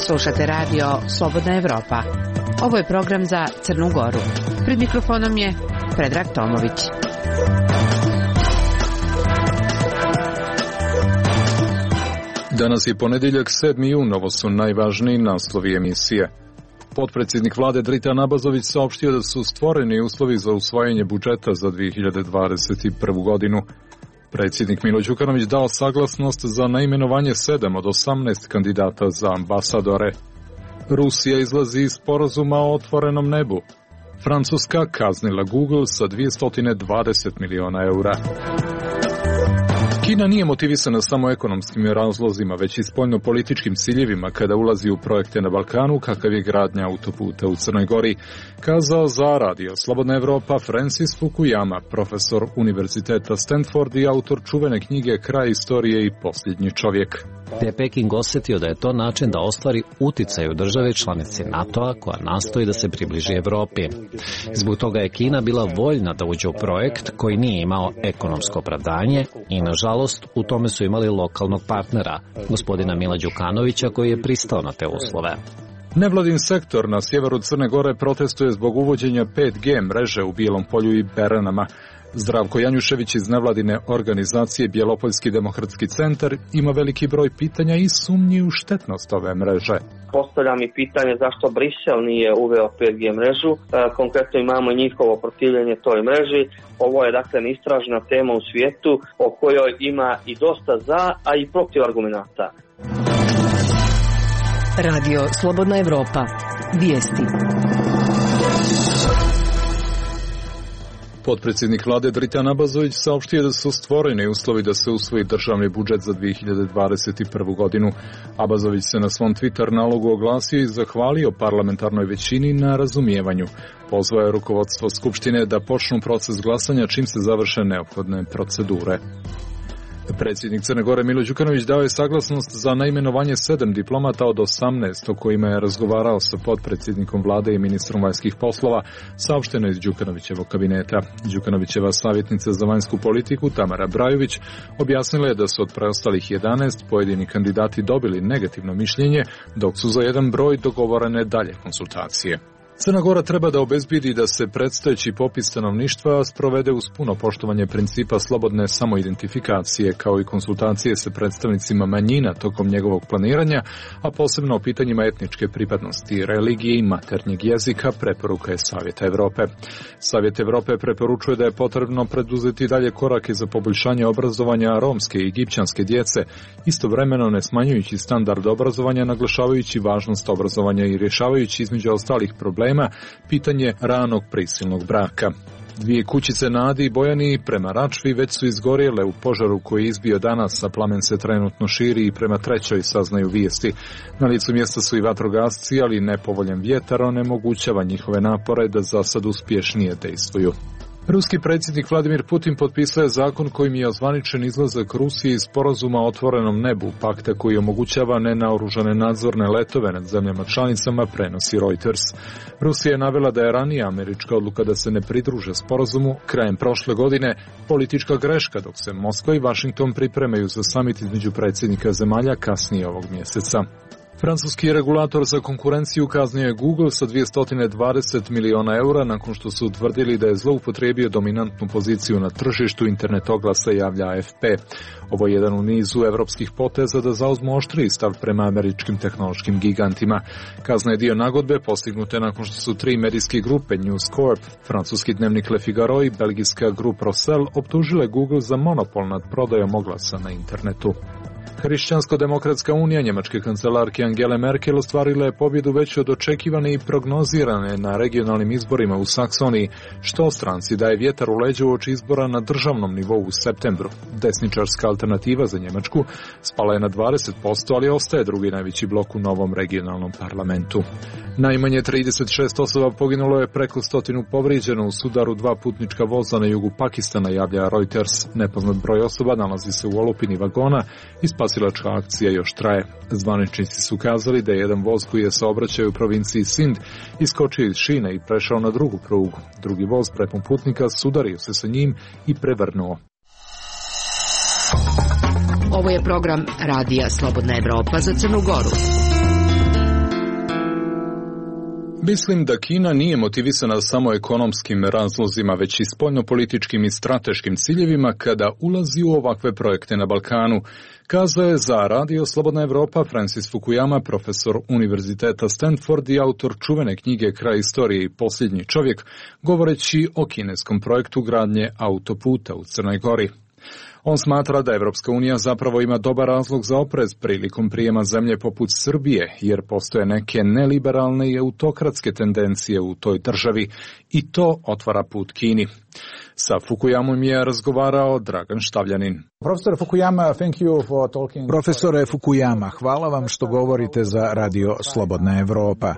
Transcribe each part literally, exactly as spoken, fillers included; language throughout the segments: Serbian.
Slušate radio Slobodna Evropa. Ovo je program za Crnu Goru. Pred mikrofonom je Predrag Tomović. Danas je ponedjeljak sedmi jun, ovo su najvažniji naslovi emisije. Potpredsjednik vlade Dritan Abazović saopštio da su stvoreni uslovi za usvajanje budžeta za dvije hiljade dvadeset prvu godinu. Predsjednik Milo Đukanović dao saglasnost za naimenovanje sedam od osamnaest kandidata za ambasadore. Rusija izlazi iz sporazuma o otvorenom nebu. Francuska kaznila Google sa dvjesto dvadeset miliona eura. Kina nije motivisana samo ekonomskim razlozima, već i spoljno-političkim ciljevima kada ulazi u projekte na Balkanu, kakav je gradnja autoputa u Crnoj Gori, kazao za radio Slobodna Evropa Francis Fukuyama, profesor Univerziteta Stanford i autor čuvene knjige Kraj istorije i posljednji čovjek. Te je Peking osjetio da je to način da ostvari uticaj u državi članici NATO-a koja nastoji da se približi Evropi. Zbog toga je Kina bila voljna da uđe u projekt koji nije imao ekonomsko opravdanje i, nažalost, u tome su imali lokalnog partnera, gospodina Mila Đukanovića, koji je pristao na te uslove. Nevladin sektor na sjeveru Crne Gore protestuje zbog uvođenja pet G mreže u Bijelom Polju i Beranama. Zdravko Janjušević iz nevladine organizacije Bjelopoljski demokratski centar ima veliki broj pitanja i sumnji u štetnost ove mreže. Postavljam i pitanje zašto Brisel nije uveo pet G mrežu. E, konkretno imamo njihovo protivljenje toj mreži. Ovo je dakle istražna tema u svijetu o kojoj ima i dosta za, a i protiv argumenata. Radio Slobodna Evropa. Vijesti. Potpredsjednik vlade Dritan Abazović saopštio da su stvoreni uslovi da se usvoji državni budžet za dvije hiljade dvadeset prvu godinu. Abazović se na svom Twitter nalogu oglasio i zahvalio parlamentarnoj većini na razumijevanju. Pozvao je rukovodstvo Skupštine da počnu proces glasanja čim se završe neophodne procedure. Predsjednik Crne Gore Milo Đukanović dao je saglasnost za naimenovanje sedam diplomata od osamnaest o kojima je razgovarao sa potpredsjednikom vlade i ministrom vanjskih poslova, saopšteno iz Đukanovićevog kabineta. Đukanovićeva savjetnica za vanjsku politiku Tamara Brajović objasnila je da su od preostalih jedanaest pojedini kandidati dobili negativno mišljenje, dok su za jedan broj dogovorene dalje konsultacije. Crna Gora treba da obezbedi da se predstojeći popis stanovništva sprovede uz puno poštovanje principa slobodne samoidentifikacije, kao i konsultacije sa predstavnicima manjina tokom njegovog planiranja, a posebno o pitanjima etničke pripadnosti, religije i maternjeg jezika, preporuka je Savjeta Evrope. Savjet Evrope preporučuje da je potrebno preduzeti dalje korake za poboljšanje obrazovanja romske i egipćanske djece, istovremeno ne smanjujući standard obrazovanja, naglašavajući važnost obrazovanja i rješavajući između ostalih problema pitanje ranog prisilnog braka. Dvije kućice na Adi i Bojani prema Račvi već su izgorjele u požaru koji je izbio danas, a plamen se trenutno širi i prema trećoj saznaju vijesti. Na licu mjesta su i vatrogasci, ali nepovoljan vjetar onemogućava njihove napore da za sad uspješnije dejstvuju. Ruski predsjednik Vladimir Putin potpisao je zakon kojim je ozvaničen izlazak Rusije iz sporazuma o otvorenom nebu, pakta koji omogućava nenaoružane nadzorne letove nad zemljama članicama, prenosi Reuters. Rusija je navela da je ranija američka odluka da se ne pridruže sporazumu krajem prošle godine politička greška, dok se Moskva i Washington pripremaju za samit između predsjednika zemalja kasnije ovog mjeseca. Francuski regulator za konkurenciju kaznio je Google sa dvjesto dvadeset miliona eura nakon što su utvrdili da je zloupotrijebio dominantnu poziciju na tržištu internet oglasa, javlja A F P. Ovo je jedan u nizu evropskih poteza da zauzmu oštriji stav prema američkim tehnološkim gigantima. Kazna je dio nagodbe postignute nakon što su tri medijske grupe News Corp, francuski dnevnik Le Figaro i belgijska grupa Rossel optužile Google za monopol nad prodajom oglasa na internetu. Hrišćansko-demokratska unija njemačke kancelarke Angele Merkel ostvarila je pobjedu veću od očekivane i prognozirane na regionalnim izborima u Saksoniji, što stranci daje vjetar u leđa uoči izbora na državnom nivou u septembru. Desničarska alternativa za Njemačku spala je na dvadeset posto, ali ostaje drugi najveći blok u novom regionalnom parlamentu. Najmanje trideset šest osoba poginulo je, preko stotinu povrijeđeno u sudaru dva putnička voza na jugu Pakistana, javlja Reuters. Nepoznat broj osoba nalazi se u olupini vagona i spasilačka akcija još traje. Zvaničnici su kazali da je jedan voz koji je saobraćao u provinciji Sind iskočio iz šine i prešao na drugu prugu. Drugi voz prepun putnika sudario se sa njim i prevrnuo. Ovo je program Radija Slobodna Evropa za Crnu Goru. Mislim da Kina nije motivisana samo ekonomskim razlozima, već i spoljnopolitičkim i strateškim ciljevima kada ulazi u ovakve projekte na Balkanu, kazao je za Radio Slobodna Evropa Francis Fukuyama, profesor Univerziteta Stanford i autor čuvene knjige Kraj istorije i posljednji čovjek, govoreći o kineskom projektu gradnje autoputa u Crnoj Gori. On smatra da Evropska unija zapravo ima dobar razlog za oprez prilikom prijema zemlje poput Srbije, jer postoje neke neliberalne i autokratske tendencije u toj državi i to otvara put Kini. Sa Fukuyamom je razgovarao Dragan Štavljanin. Profesor Fukuyama, thank you for talking. Profesore Fukuyama, hvala vam što govorite za Radio Slobodna Evropa.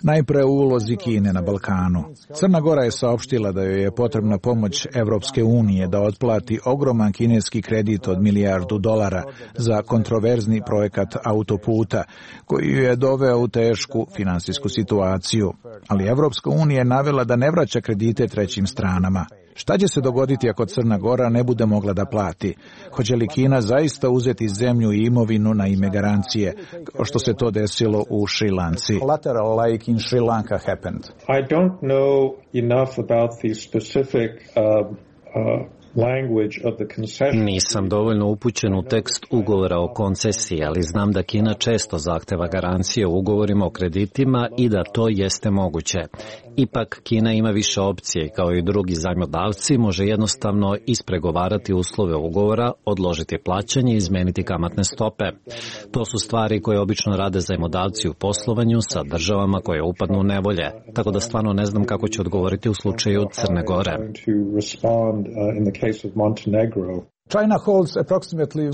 Najpre u ulozi Kine na Balkanu. Crna Gora je saopštila da joj je potrebna pomoć Evropske unije da otplati ogroman kineski kredit od milijardu dolara za kontroverzni projekat autoputa, koji ju je doveo u tešku finansijsku situaciju. Ali Evropska unija je navela da ne vraća kredite trećim stranama. Šta će se dogoditi ako Crna Gora ne bude mogla da plati? Hoće li Kina zaista uzeti zemlju i imovinu na ime garancije, kao što se to desilo u Šrilanci? Like in Sri Lanka happened. I don't know enough about the specific uh, uh, Nisam dovoljno upućen u tekst ugovora o koncesiji, ali znam da Kina često zahteva garancije u ugovorima o kreditima i da to jeste moguće. Ipak, Kina ima više opcije i kao i drugi zajmodavci može jednostavno ispregovarati uslove ugovora, odložiti plaćanje i izmeniti kamatne stope. To su stvari koje obično rade zajmodavci u poslovanju sa državama koje upadnu u nevolje, tako da stvarno ne znam kako će odgovoriti u slučaju Crne Gore.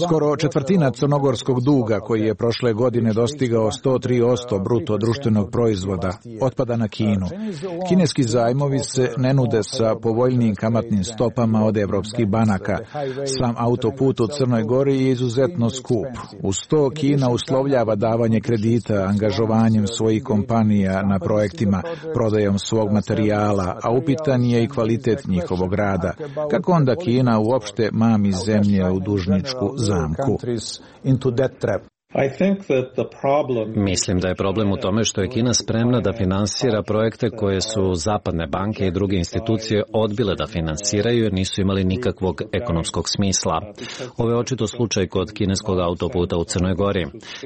Skoro četvrtina crnogorskog duga, koji je prošle godine dostigao sto tri posto bruto društvenog proizvoda, otpada na Kinu. Kineski zajmovi se ne nude sa povoljnijim kamatnim stopama od evropskih banaka. Sam autoput u Crnoj Gori je izuzetno skup. Uz to Kina uslovljava davanje kredita angažovanjem svojih kompanija na projektima, prodajom svog materijala, a upitan je i kvalitet njihovog rada. Kako onda Kina uopšte mami zemlje u dužničku zamku? Mislim da je problem u tome što je Kina spremna da finansira projekte koje su zapadne banke i druge institucije odbile da finansiraju jer nisu imali nikakvog ekonomskog smisla. Ovo je očito slučaj kod kineskog autoputa u Crnoj Gori.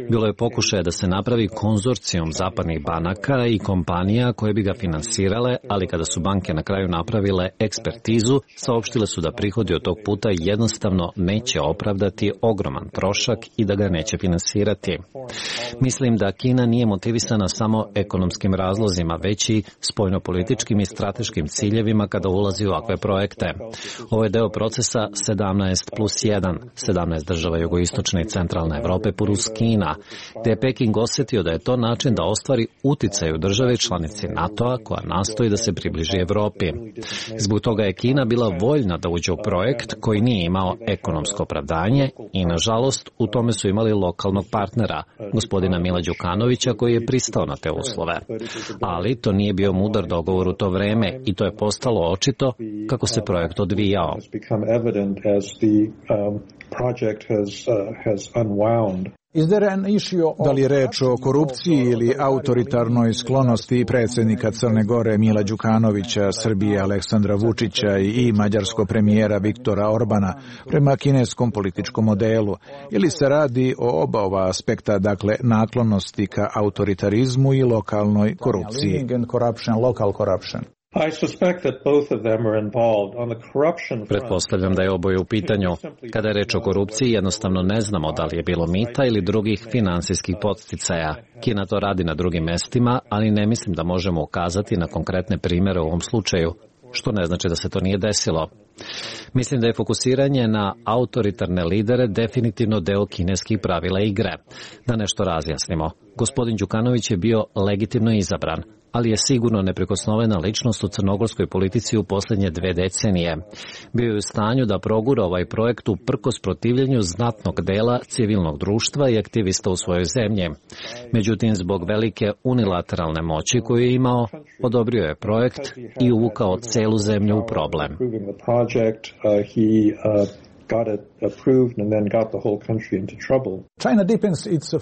Bilo je pokušaja da se napravi konzorcijum zapadnih banaka i kompanija koje bi ga finansirale, ali kada su banke na kraju napravile ekspertizu, saopštile su da prihodi od tog puta jednostavno neće opravdati ogroman trošak i da ga neće finansirati. Mislim da Kina nije motivisana samo ekonomskim razlozima, već i spoljnopolitičkim i strateškim ciljevima kada ulazi u ovakve projekte. Ovo je deo procesa sedamnaest plus jedan, sedamnaest država jugoistočne i centralne Evrope plus Kina, gde je Peking osetio da je to način da ostvari uticaj u države članici NATO-a koja nastoji da se približi Evropi. Zbog toga je Kina bila voljna da uđe u projekt koji nije imao ekonomsko opravdanje i, nažalost, u tome su imali lokalnog partnera, gospodina Mila Đukanovića, koji je pristao na te uslove. Ali to nije bio mudar dogovor u to vreme i to je postalo očito kako se projekt odvijao. Da li je reč o korupciji ili autoritarnoj sklonosti predsjednika Crne Gore Mila Đukanovića, Srbije Aleksandra Vučića i mađarskog premijera Viktora Orbana prema kineskom političkom modelu? Ili se radi o oba ova aspekta, dakle naklonosti ka autoritarizmu i lokalnoj korupciji? Pretpostavljam da je oboje u pitanju. Kada je reč o korupciji, jednostavno ne znamo da li je bilo mita ili drugih finansijskih podsticaja. Kina to radi na drugim mestima, ali ne mislim da možemo ukazati na konkretne primere u ovom slučaju, što ne znači da se to nije desilo. Mislim da je fokusiranje na autoritarne lidere definitivno deo kineskih pravila igre. Da nešto razjasnimo. Gospodin Đukanović je bio legitimno izabran, ali je sigurno neprikosnovena ličnost u crnogorskoj politici u posljednje dve decenije. Bio je u stanju da progura ovaj projekt uprkos protivljenju znatnog dela civilnog društva i aktivista u svojoj zemlji. Međutim, zbog velike unilateralne moći koju je imao, odobrio je projekt i uvukao celu zemlju u problem.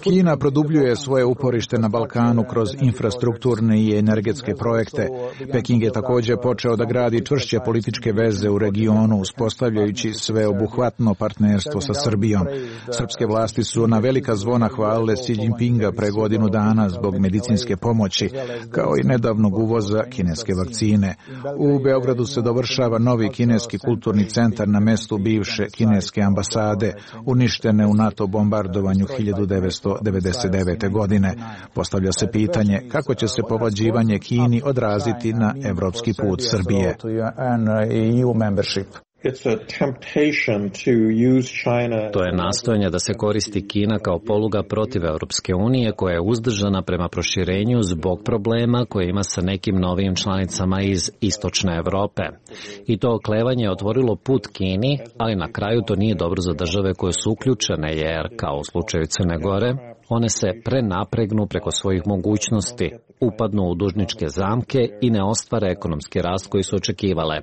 Kina produbljuje svoje uporište na Balkanu kroz infrastrukturne i energetske projekte. Peking je također počeo da gradi čvršće političke veze u regionu, uspostavljajući sveobuhvatno partnerstvo sa Srbijom. Srpske vlasti su na velika zvona hvalile Xi Jinpinga pre godinu dana zbog medicinske pomoći, kao i nedavnog uvoza kineske vakcine. U Beogradu se dovršava novi kineski kulturni centar na mestu bivše kineske ambasade, uništene u NATO bombardovanju hiljadu devetsto devedeset devete. godine. Postavlja se pitanje kako će se povlađivanje Kini odraziti na evropski put Srbije. To je nastojanje da se koristi Kina kao poluga protiv Europske unije koja je uzdržana prema proširenju zbog problema koje ima sa nekim novim članicama iz istočne Evrope. I to oklevanje je otvorilo put Kini, ali na kraju to nije dobro za države koje su uključene jer, kao u slučaju Crne Gore, one se prenapregnu preko svojih mogućnosti, upadnu u dužničke zamke i ne ostvare ekonomski rast koji su očekivale.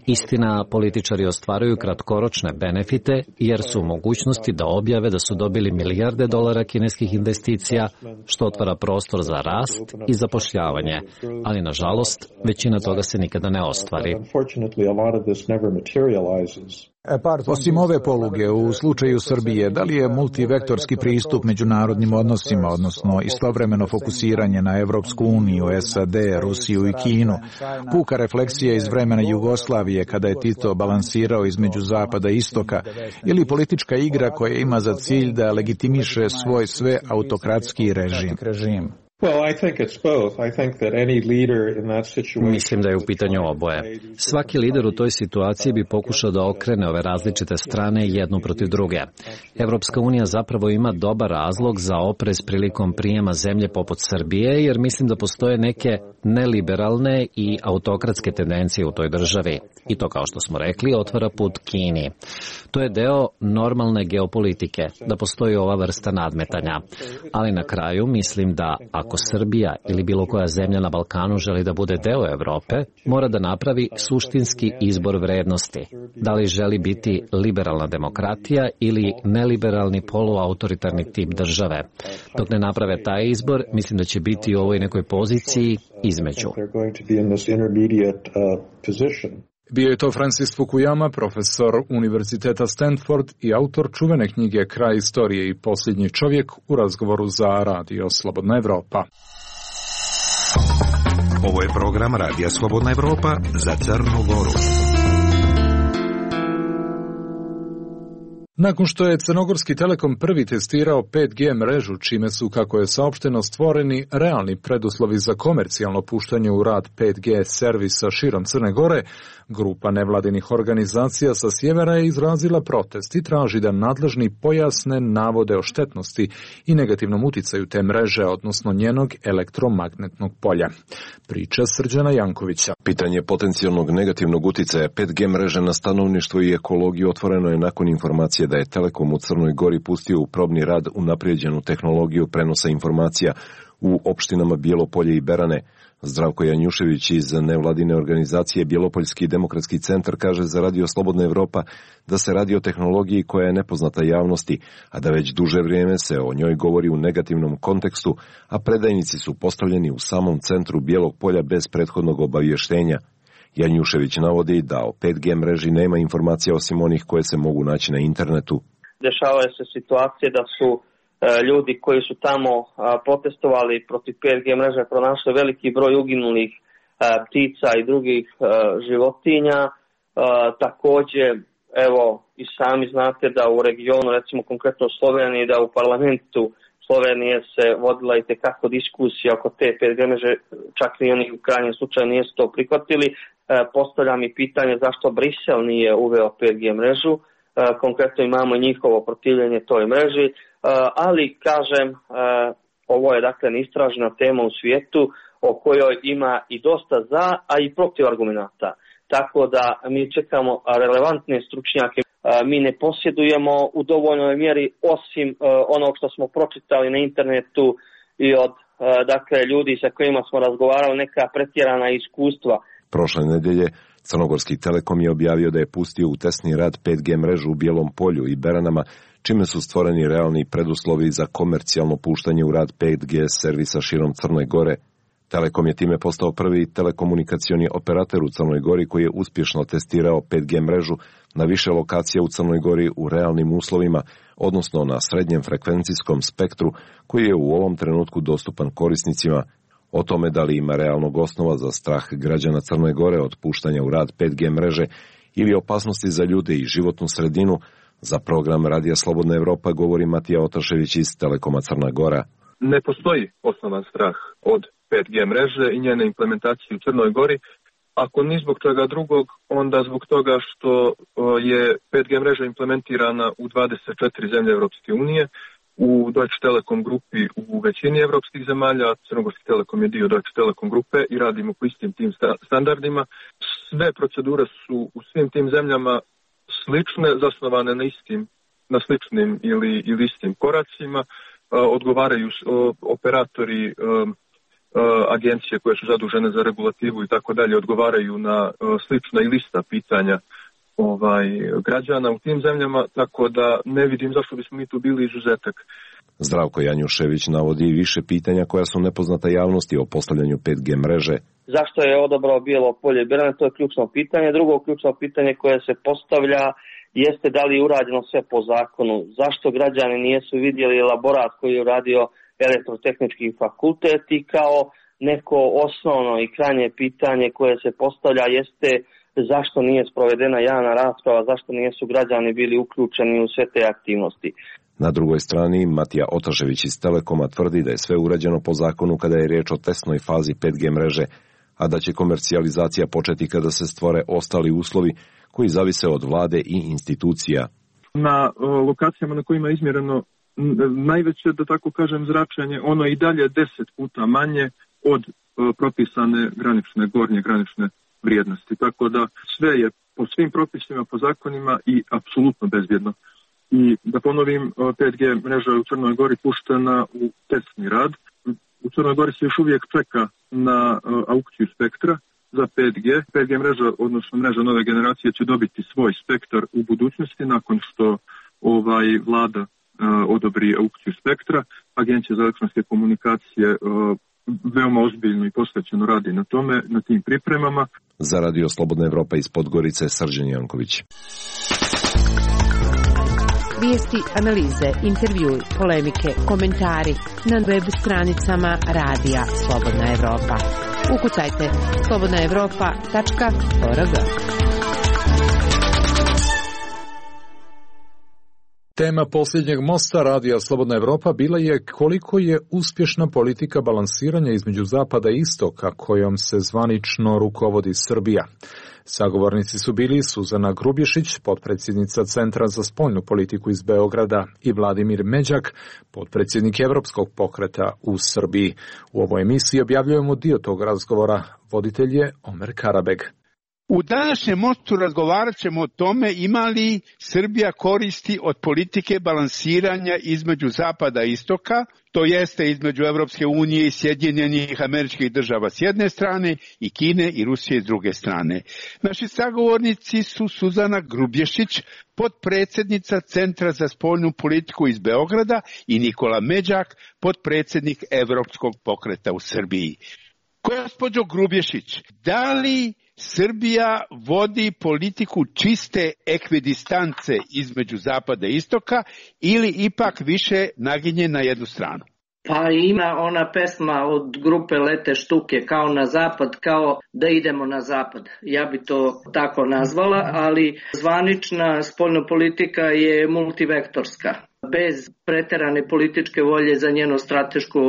Istina, političari ostvaruju kratkoročne benefite jer su u mogućnosti da objave da su dobili milijarde dolara kineskih investicija, što otvara prostor za rast i zapošljavanje, ali nažalost većina toga se nikada ne ostvari. Osim ove poluge, u slučaju Srbije, da li je multivektorski pristup međunarodnim odnosima, odnosno istovremeno fokusiranje na Evropsku uniju, S A D, Rusiju i Kinu, puka refleksija iz vremena Jugoslavije kada je Tito balansirao između zapada i istoka, ili politička igra koja ima za cilj da legitimiše svoj sve autokratski režim? Mislim da je u pitanju oboje. Svaki lider u toj situaciji bi pokušao da okrene ove različite strane jednu protiv druge. Evropska unija zapravo ima dobar razlog za oprez prilikom prijema zemlje poput Srbije, jer mislim da postoje neke neliberalne i autokratske tendencije u toj državi. I to, kao što smo rekli, otvara put Kini. To je deo normalne geopolitike, da postoji ova vrsta nadmetanja. Ali na kraju mislim da ako Srbija ili bilo koja zemlja na Balkanu želi da bude deo Evrope, mora da napravi suštinski izbor vrednosti. Da li želi biti liberalna demokratija ili neliberalni poluautoritarni tip države. Dok ne naprave taj izbor, mislim da će biti u ovoj nekoj poziciji između. Bio je to Francis Fukuyama, profesor Univerziteta Stanford i autor čuvene knjige Kraj istorije i posljednji čovjek u razgovoru za Radio Slobodna Evropa. Ovo je program Radija Slobodna Evropa za Crnu Goru. Nakon što je Crnogorski Telekom prvi testirao pet G mrežu, čime su, kako je saopšteno, stvoreni realni preduslovi za komercijalno puštanje u rad pet G servisa širom Crne Gore, grupa nevladinih organizacija sa sjevera je izrazila protest i traži da nadležni pojasne navode o štetnosti i negativnom uticaju te mreže, odnosno njenog elektromagnetnog polja. Priča Srđana Jankovića. Pitanje potencijalnog negativnog uticaja pet G mreže na stanovništvo i ekologiju otvoreno je nakon informacije da je Telekom u Crnoj Gori pustio u probni rad unaprijeđenu tehnologiju prenosa informacija u opštinama Bijelo-Polje i Berane. Zdravko Janjušević iz nevladine organizacije Bjelopoljski demokratski centar kaže za Radio Slobodna Evropa da se radi o tehnologiji koja je nepoznata javnosti, a da već duže vrijeme se o njoj govori u negativnom kontekstu, a predajnici su postavljeni u samom centru Bijelog Polja bez prethodnog obavještenja. Janjušević navodi da o pet G mreži nema informacija osim onih koje se mogu naći na internetu. Dešavaju se situacije da su e, ljudi koji su tamo a, protestovali protiv pet G mreže pronašli veliki broj uginulih a, ptica i drugih a, životinja. A, također, evo i sami znate da u regionu, recimo konkretno u Sloveniji, da u parlamentu Slovenije se vodila i tekako diskusija oko te pet G mreže, čak i oni u krajnjem slučaju nisu to prihvatili. E, postavljam i pitanje zašto Brisel nije uveo pet G mrežu. E, konkretno imamo njihovo protivljenje toj mreži, e, ali kažem, e, ovo je dakle neistražena tema u svijetu o kojoj ima i dosta za, a i protiv argumenata. Tako da mi čekamo relevantne stručnjake. Mi ne posjedujemo u dovoljnoj mjeri osim onog što smo pročitali na internetu i od dakle ljudi sa kojima smo razgovarali neka pretjerana iskustva. Prošle nedelje Crnogorski Telekom je objavio da je pustio u tesni rad pet G mrežu u Bijelom Polju i Beranama, čime su stvoreni realni preduslovi za komercijalno puštanje u rad pet G servisa širom Crne Gore. Telekom je time postao prvi telekomunikacioni operator u Crnoj Gori koji je uspješno testirao pet G mrežu na više lokacija u Crnoj Gori u realnim uslovima, odnosno na srednjem frekvencijskom spektru koji je u ovom trenutku dostupan korisnicima. O tome da li ima realnog osnova za strah građana Crne Gore od puštanja u rad pet G mreže ili opasnosti za ljude i životnu sredinu, za program Radija Slobodna Evropa govori Matija Otašević iz Telekoma Crna Gora. Ne postoji osnovan strah od pet G mreže i njene implementacije u Crnoj Gori. Ako ni zbog toga drugog, onda zbog toga što je pet G mreža implementirana u dvadeset četiri zemlje Evropske unije, u Deutsche Telekom grupi u većini evropskih zemalja, Crnogorski Telekom je dio Deutsche Telekom grupe i radimo po istim tim standardima. Sve procedure su u svim tim zemljama slične, zasnovane na istim, na sličnim ili, ili istim koracima. Odgovaraju operatori, agencije koje su zadužene za regulativu i tako dalje, odgovaraju na slična i lista pitanja ovaj, građana u tim zemljama, tako da ne vidim zašto bismo mi tu bili izuzetak. Zdravko Janjušević navodi više pitanja koja su nepoznata javnosti o postavljanju pet G mreže. Zašto je odabrao Bijelo Polje i Berane, to je ključno pitanje. Drugo ključno pitanje koje se postavlja jeste da li je urađeno sve po zakonu. Zašto građani nisu vidjeli elaborat koji je uradio Elektrotehnički fakultet i kao neko osnovno i krajnje pitanje koje se postavlja jeste zašto nije sprovedena javna rasprava, zašto nisu građani bili uključeni u sve te aktivnosti. Na drugoj strani, Matija Otašević iz Telekoma tvrdi da je sve urađeno po zakonu kada je riječ o testnoj fazi pet G mreže, a da će komercijalizacija početi kada se stvore ostali uslovi koji zavise od vlade i institucija. Na lokacijama na kojima je izmjereno najveće, da tako kažem, zračenje, ono i dalje deset puta manje od propisane granične, gornje granične vrijednosti. Tako da sve je po svim propisima, po zakonima i apsolutno bezbjedno. I da ponovim, pet G mreža je u Crnoj Gori puštena u testni rad. U Crnoj Gori se još uvijek čeka na aukciju spektra za pet G. pet G mreža, odnosno mreža nove generacije, će dobiti svoj spektar u budućnosti nakon što ovaj vlada odobri aukciju spektra. Agencija za elektronske komunikacije veoma ozbiljno i posvećeno radi na tome, na tim pripremama. Za Radio Slobodna Evropa iz Podgorice, Srđan Janković. Vijesti, analize, intervjui, polemike, komentari na web stranicama Radija Slobodna Evropa. Ukucajte slobodna evropa tačka org. Tema posljednjeg mosta Radija Slobodna Evropa bila je koliko je uspješna politika balansiranja između zapada i istoka kojom se zvanično rukovodi Srbija. Sagovornici su bili Suzana Grubješić, potpredsjednica Centra za spoljnu politiku iz Beograda, i Vladimir Međak, potpredsjednik Evropskog pokreta u Srbiji. U ovoj emisiji objavljujemo dio tog razgovora. Voditelj je Omer Karabeg. U današnjem mostu razgovarat ćemo o tome ima li Srbija koristi od politike balansiranja između zapada i istoka, to jeste između Evropske unije i Sjedinjenih Američkih Država s jedne strane i Kine i Rusije s druge strane. Naši sagovornici su Suzana Grubješić, potpredsjednica Centra za spoljnu politiku iz Beograda, i Nikola Međak, potpredsjednik Evropskog pokreta u Srbiji. Gospođo Grubješić, da li Srbija vodi politiku čiste ekvidistance između zapada i istoka ili ipak više naginje na jednu stranu? Pa ima ona pesma od grupe Lete štuke, kao na zapad, kao da idemo na zapad. Ja bi to tako nazvala, ali zvanična spoljna politika je multivektorska. Bez preterane političke volje za njeno strateško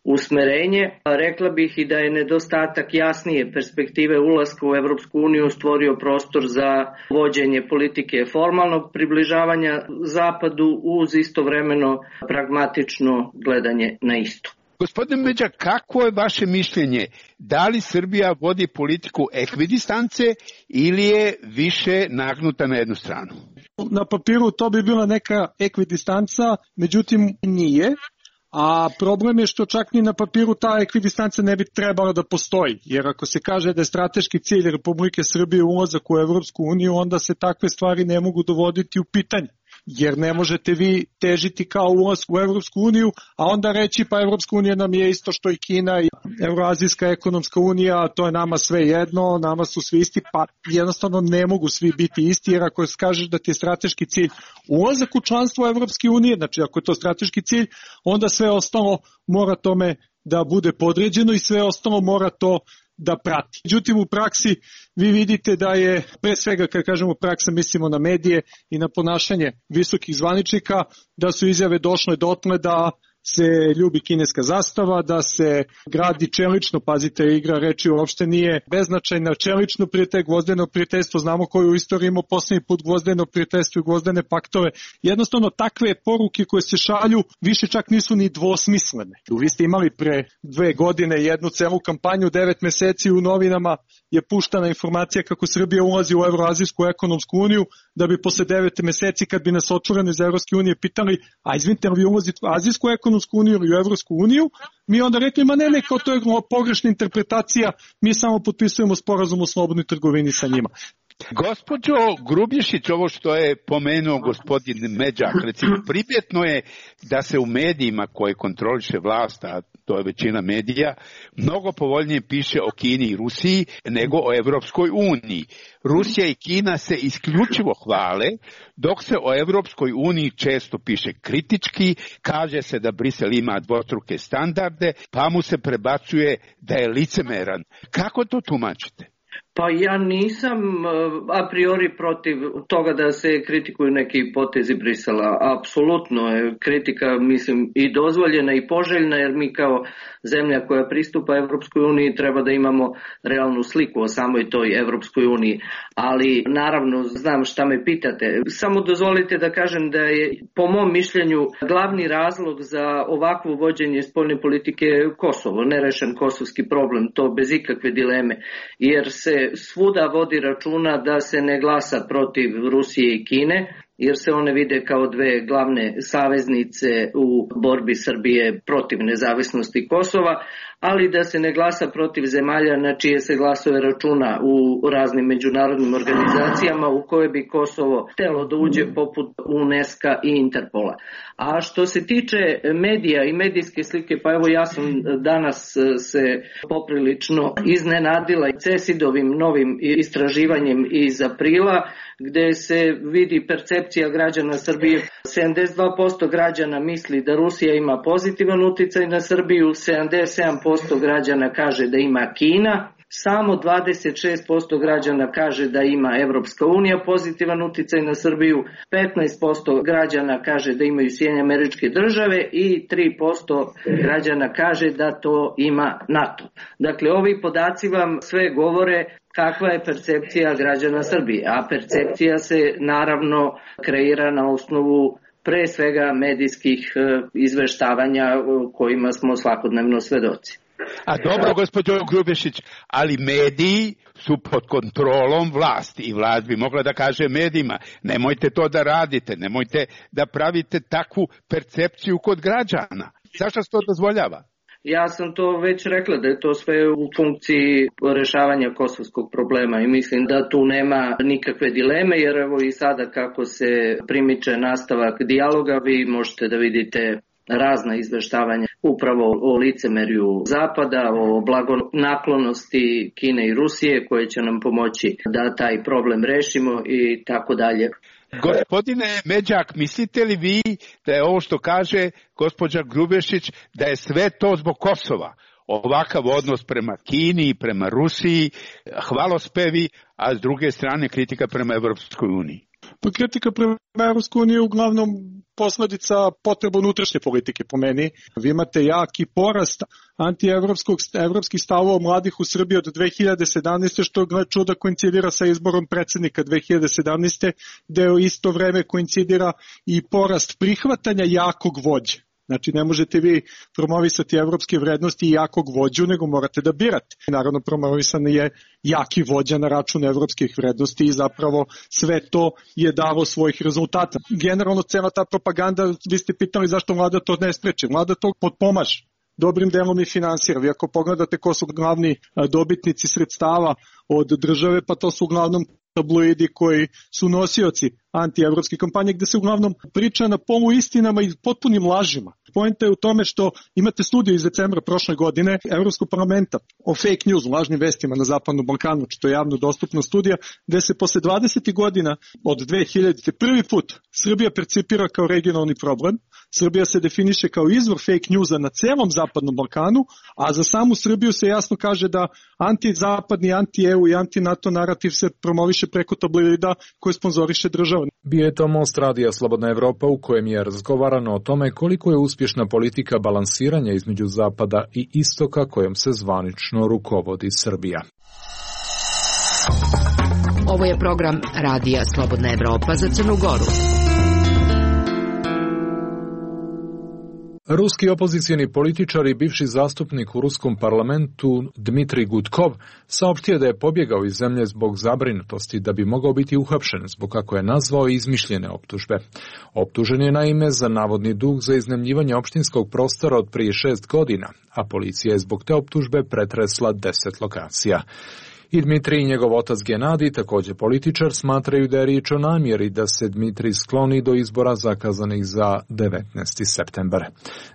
usmerenje. Rekla bih i da je nedostatak jasnije perspektive ulaska u Evropsku uniju stvorio prostor za vođenje politike formalnog približavanja zapadu uz istovremeno pragmatično gledanje na istok. Gospodine Međak, kako je vaše mišljenje? Da li Srbija vodi politiku ekvidistance ili je više nagnuta na jednu stranu? Na papiru to bi bila neka ekvidistanca, međutim nije. a problem je što čak ni na papiru ta ekvidistanca ne bi trebala da postoji, jer ako se kaže da je strateški cilj Republike Srbije ulazak u Evropsku uniju, onda se takve stvari ne mogu dovoditi u pitanje. Jer ne možete vi težiti kao ulaz u Evropsku uniju, a onda reći pa Evropska unija nam je isto što i Kina i Evroazijska ekonomska unija, to je nama sve jedno, nama su svi isti, pa jednostavno ne mogu svi biti isti, jer ako kažeš da ti je strateški cilj ulazak u članstvo Evropske unije, znači ako je to strateški cilj, onda sve ostalo mora tome da bude podređeno i sve ostalo mora to da prati. Međutim, u praksi vi vidite da je, pre svega kad kažemo praksa, mislimo na medije i na ponašanje visokih zvaničnika, da su izjave došle dotle da se ljubi kineska zastava, da se gradi čelično, pazite, igra reči uopšte nije beznačajna, čelično prijatelj, gvozdeno prijateljstvo, znamo koju u istoriji imamo poslednji put gvozdeno prijateljstvo i gvozdene paktove. Jednostavno, takve poruke koje se šalju više čak nisu ni dvosmislene. Vi ste imali pre dve godine jednu celu kampanju, devet meseci u novinama je puštana informacija kako Srbija ulazi u Evroazijsku ekonomsku uniju, da bi posle devet meseci kad bi nas otvoreno iz Evropske unije pitali, a izvinite, li vi ulazite u Azijsku ekonomsku uniju ili u Evropsku uniju, mi onda rekli, ma ne, ne, kao to je pogrešna interpretacija, mi samo potpisujemo sporazum o slobodnoj trgovini sa njima. Gospođo Grubješić, ovo što je pomenuo gospodin Međak, recimo, primjetno je da se u medijima koje kontroliše vlast, a to je većina medija, mnogo povoljnije piše o Kini i Rusiji nego o Evropskoj uniji. Rusija i Kina se isključivo hvale, dok se o Evropskoj uniji često piše kritički, kaže se da Brisel ima dvostruke standarde, pa mu se prebacuje da je licemeran. Kako to tumačite? Pa ja nisam a priori protiv toga da se kritikuju neki potezi Brisela. Apsolutno je kritika, mislim, i dozvoljena i poželjna, jer mi kao zemlja koja pristupa Evropskoj uniji treba da imamo realnu sliku o samoj toj Evropskoj uniji. Ali naravno znam šta me pitate. Samo dozvolite da kažem da je po mom mišljenju glavni razlog za ovakvo vođenje spoljne politike Kosovo, nerešen kosovski problem, to bez ikakve dileme, jer se svuda vodi računa da se ne glasa protiv Rusije i Kine, jer se one vide kao dve glavne saveznice u borbi Srbije protiv nezavisnosti Kosova, ali da se ne glasa protiv zemalja na čije se glasove računa u raznim međunarodnim organizacijama u koje bi Kosovo htelo da uđe poput UNESCO i Interpola. A što se tiče medija i medijske slike, pa evo ja sam danas se poprilično iznenadila CESID-ovim novim istraživanjem iz aprila, gde se vidi percepcija građana Srbije. sedamdeset dva posto građana misli da Rusija ima pozitivan uticaj na Srbiju, sedamdeset sedam posto građana kaže da ima Kina, samo dvadeset šest posto građana kaže da ima Evropska unija pozitivan uticaj na Srbiju, petnaest posto građana kaže da imaju Sjedinjene Američke Države i tri posto građana kaže da to ima NATO. Dakle, ovi podaci vam sve govore kakva je percepcija građana Srbije, a percepcija se naravno kreira na osnovu pre svega medijskih izveštavanja kojima smo svakodnevno svedoci. A dobro, gospođo Grubješić, ali mediji su pod kontrolom vlasti i vlast bi mogla da kaže medijima, nemojte to da radite, nemojte da pravite takvu percepciju kod građana. Zašto se to dozvoljava? Ja sam to već rekla da je to sve u funkciji rešavanja kosovskog problema i mislim da tu nema nikakve dileme, jer evo i sada kako se primiče nastavak dijaloga, vi možete da vidite razna izveštavanja upravo o licemerju Zapada, o blagonaklonosti Kine i Rusije koje će nam pomoći da taj problem rešimo i tako dalje. Gospodine Međak, mislite li vi da je ovo što kaže gospođa Grubješić, da je sve to zbog Kosova? Ovakav odnos prema Kini i prema Rusiji, hvalospevi, a s druge strane kritika prema Evropskoj uniji? Pa kritika prema Evropskoj uniji je uglavnom posledica potreba unutrašnje politike po meni. Vi imate jaki porast antievropskih stavova mladih u Srbiji od dve hiljade sedamnaeste. što gle čuda koincidira sa izborom predsjednika dve hiljade sedamnaeste. gde u isto vreme koincidira i porast prihvatanja jakog vođe. Znači ne možete vi promovisati evropske vrednosti i jakog vođu, nego morate da birate. Naravno promovisan je jaki vođa na račun evropskih vrednosti i zapravo sve to je dalo svojih rezultata. Generalno cela ta propaganda, vi ste pitali zašto vlada to ne spreče. Vlada to potpomaže. Dobrim delom i finansira. Vi ako pogledate ko su glavni dobitnici sredstava od države, pa to su uglavnom tabloidi koji su nosioci antievropske kampanje, gde se uglavnom priča na polu istinama i potpunim lažima. Poenta je u tome što imate studiju iz decembra prošle godine Evropskog parlamenta o fake news, lažnim vestima na Zapadnom Balkanu, što je javno dostupna studija, gde se posle dvadeset godina od dve hiljadite prvi put Srbija percipira kao regionalni problem. Srbija se definiše kao izvor fake newsa na celom Zapadnom Balkanu, a za samu Srbiju se jasno kaže da antizapadni, anti-E U i anti-NATO narativ se promoviše preko tabloida koje sponzoriše država. Bio je to Most radija Slobodna Evropa u kojem je razgovarano o tome koliko je uspješna politika balansiranja između Zapada i Istoka kojom se zvanično rukovodi Srbija. Ovo je program Radija Slobodna Evropa za Crnu Goru. Ruski opozicijeni političar i bivši zastupnik u ruskom parlamentu Dmitrij Gudkov saopštio da je pobjegao iz zemlje zbog zabrinutosti da bi mogao biti uhapšen zbog, kako je nazvao, izmišljene optužbe. Optužen je naime za navodni dug za iznajmljivanje opštinskog prostora od prije šest godina, a policija je zbog te optužbe pretresla deset lokacija. I Dmitrij i njegov otac Genadij, također političar, smatraju da je riječ o namjeri da se Dmitrij skloni do izbora zakazanih za devetnaesti septembar.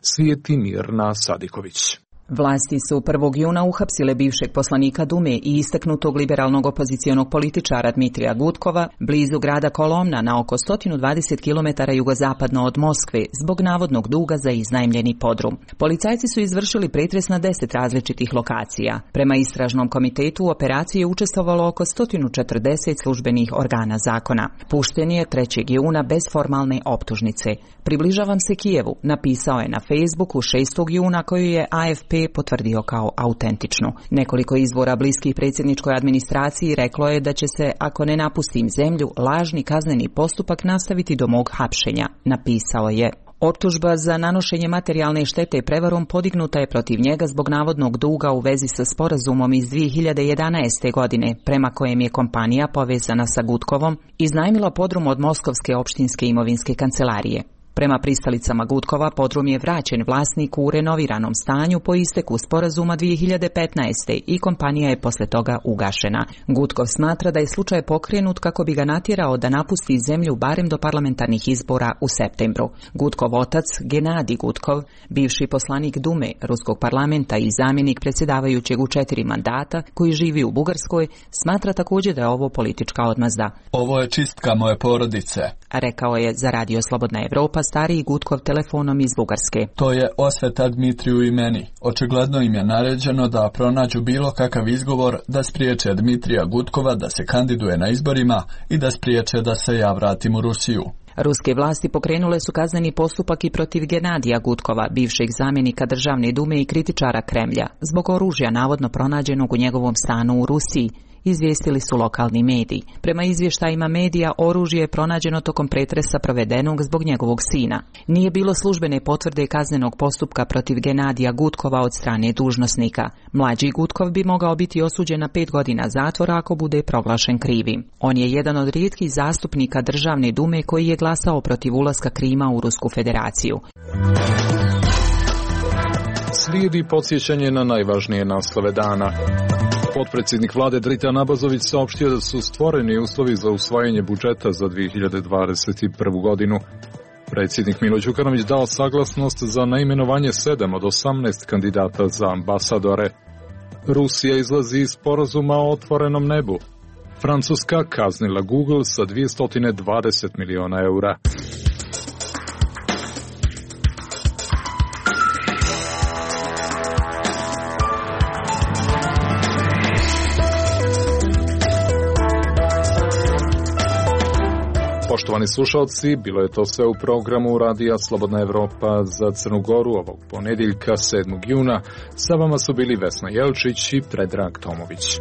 Svijeti Mirna Sadiković. Vlasti su prvog juna uhapsile bivšeg poslanika Dume i istaknutog liberalnog opozicionog političara Dmitrija Gudkova blizu grada Kolomna na oko sto dvadeset kilometara jugozapadno od Moskve zbog navodnog duga za iznajmljeni podrum. Policajci su izvršili pretres na deset različitih lokacija. Prema istražnom komitetu u operaciji je učestvovalo oko sto četrdeset službenih organa zakona. Pušten je trećeg juna bez formalne optužnice. Približavam se Kijevu, napisao je na Facebooku šestog juna, koju je A F P potvrdio kao autentičnu. Nekoliko izvora bliskih predsjedničkoj administraciji reklo je da će se, ako ne napustim zemlju, lažni kazneni postupak nastaviti do mog hapšenja, napisao je. Optužba za nanošenje materijalne štete prevarom podignuta je protiv njega zbog navodnog duga u vezi sa sporazumom iz dvije hiljade jedanaeste. godine, prema kojem je kompanija povezana sa Gudkovom iznajmila podrum od Moskovske opštinske imovinske kancelarije. Prema pristalicama Gudkova, podrum je vraćen vlasniku u renoviranom stanju po isteku sporazuma dvije hiljade petnaeste. i kompanija je posle toga ugašena. Gudkov smatra da je slučaj pokrenut kako bi ga natjerao da napusti zemlju barem do parlamentarnih izbora u septembru. Gudkov otac, Genadij Gudkov, bivši poslanik Dume ruskog parlamenta i zamjenik predsjedavajućeg u četiri mandata, koji živi u Bugarskoj, smatra također da je ovo politička odmazda. Ovo je čistka moje porodice, rekao je za Radio Slobodna Evropa stariji Gudkov telefonom iz Bugarske. To je osveta Dmitriju i meni. Očigledno im je naređeno da pronađu bilo kakav izgovor da spriječe Dmitrija Gudkova da se kandiduje na izborima i da spriječe da se ja vratim u Rusiju. Ruske vlasti pokrenule su kazneni postupak i protiv Genadija Gudkova, bivšeg zamjenika Državne dume i kritičara Kremlja, zbog oružja navodno pronađenog u njegovom stanu u Rusiji, izvijestili su lokalni mediji. Prema izvještajima medija, oružje je pronađeno tokom pretresa provedenog zbog njegovog sina. Nije bilo službene potvrde kaznenog postupka protiv Genadija Gudkova od strane dužnosnika. Mlađi Gudkov bi mogao biti osuđen na pet godina zatvora ako bude proglašen krivim. On je jedan od rijetkih zastupnika Državne dume koji je glasao protiv ulaska Krima u Rusku federaciju. Slijedi podsjećanje na najvažnije naslove dana. Potpredsjednik vlade Dritan Abazović saopštio da su stvoreni uslovi za usvajanje budžeta za dvije hiljade dvadeset prvu. godinu. Predsjednik Milo Đukanović dao saglasnost za naimenovanje sedam od osamnaest kandidata za ambasadore. Rusija izlazi iz sporazuma o otvorenom nebu. Francuska kaznila Google sa dvjesto dvadeset miliona eura. Poštovani slušalci, bilo je to sve u programu Radija Slobodna Evropa za Crnu Goru ovog ponedjeljka sedmog juna. Sa vama su bili Vesna Jelčić i Predrag Tomović.